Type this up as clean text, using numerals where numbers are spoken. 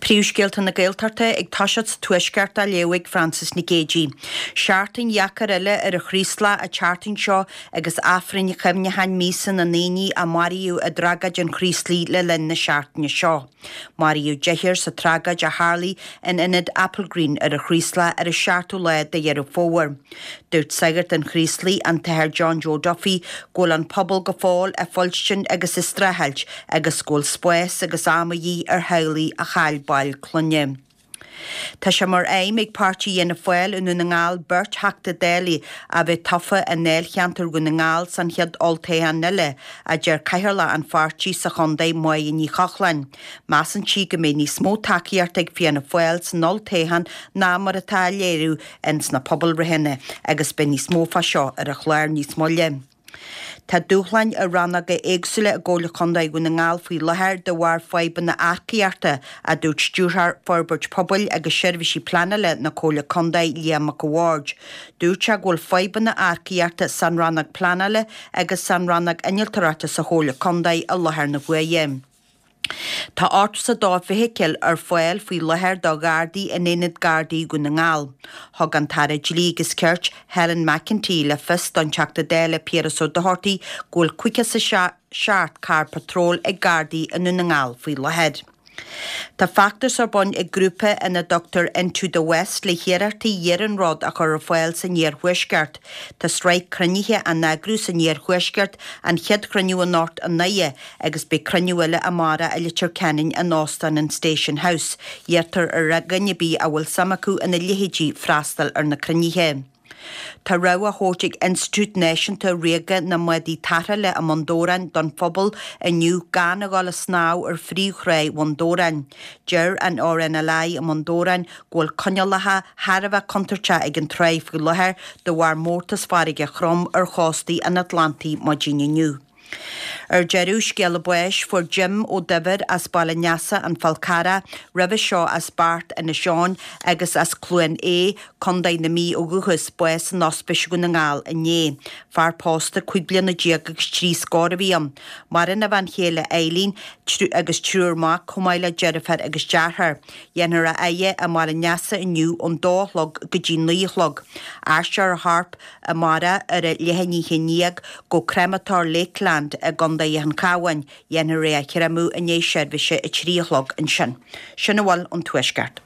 Príomhscéalta na Gaeltachta ag toiseacht sa Tuaisceart á léamh ag Frances Nic Géadaigh. Seachtain dheacair eile ar an Chraoslach an tseachtain seo agus Aifrinn chuimhneacháin míosa na ndaoine a maraíodh i dtragóid an Chraoslaigh le linn na seachtaine seo. Maraíodh deichniúr sa tragóid a tharlaigh in ionad Applegreen ar an Chraoslach ar an seachtú lá de Dheireadh Fómhair. Dúirt sagart an Chraoslaigh, an tAthair John Joe Duffy, go bhfuil an pobal go fóill ag fuilstin agus ag streachailt agus go bhfuil spás agus am a dhíth ar theaghlaigh a chaill baill clainne. Tá sé mar aidhm ag páirtí Fhianna Fáil i nDún na nGall beirt Theachta Dála a bheith tofa i ndáilcheantar Dhún na nGall san chéad olltoghchán eile, a deir Cathaoirleach an pháirtí sa chontae Máire Ní Chochláin. Measann sí go mbeidh níos mó tacaíochta ag Fianna Fáil san olltoghchán ná mar atá á léiriú ins na pobalbhreitheanna agus beidh níos mó fá seo ar an chlár níos moille. Tá dúshláin i rannóga éagsúla i gComhairle Contae Dhún na nGall faoi láthair de bharr fadhbanna earcaíochta, a dúirt Stiúrthóir Forbairt Pobail agus Seirbhísí Pleanála na Comhairle Contae, Liam Mac a' Bhaird. Dúirt sé go bhfuil fadhbanna earcaíochta san rannóg pleanála agus san rannóg innealtóireachta sa Chomhairle Contae i láthair na huaire. Tá 82 feithicil ar fáil faoi láthair do Ghardaí in Aonad Gardaí Dhún na nGall. Thug an tAire Dlí agus Cirt, Helen McEntee le fios don Teachta Dála Piaras Ó Dochartaigh go bhfuil 57 carr patróil ag Gardaí i nDún na nGall faoi láthair. Tá feachtas ar bun ag grúpa ina dtugtar Into the West le hiarrachtaí iarnród a chur ar fáil san iarthuaisceart. Tá sraith cruinnithe á n-eagrú san iarthuaisceart, an chéad chruinniú anocht i nDoire agus beidh cruinniú eile amárach i Leitir Ceanainn in Óstán an Station House. Iarrtar ar dhuine ar bith a bhfuil suim acu ina leithéidí freastal ar na cruinnithe. Tá rabhadh á thabhairt ag Institiúid Náisiúnta Ríoga na mBádaí Tarrthála i mBun Dobhráin don phobal inniu gan a dhul ag snámh ar phríomhthráigh Bhun Dobhráin. Deir an RNLI i mBun Dobhráin go bhfuil coinníollacha thar a bheith contúirteach ag an tráigh faoi láthair de bharr mórtas farraige throm ar chóstaí an Atlantaigh maidin inniu. Ar deireadh, scéala báis, fuair Jim Ó Duibhir as Baile Neasa, An Fál Carrach, roimhe seo as Beart, Inis Eoghain, agus as Cluain Aodha, Contae na Mí ó dhúchas, bás in Ospís Dhún na nGall inné. Fear pósta 15 bliana agus trí scór a bhí ann. Maireann a bhean chéile Eileen, agus triúr mac, chomh maith le deirfiúr agus deartháir. Dhéanfar a fhaire i mBaile Neasa inniu ón dó a chlog go dtí 9 a chlog. Aistreofar a chorp amárach ar a leath i ndiaidh a 11 go Créamatóir Lakeland i gContae an Chabháin. Dhéanfar é a chréamadh i ndiaidh seirbhíse a 3 a chlog ansin. Sin a bhfuil ón Tuaisceart.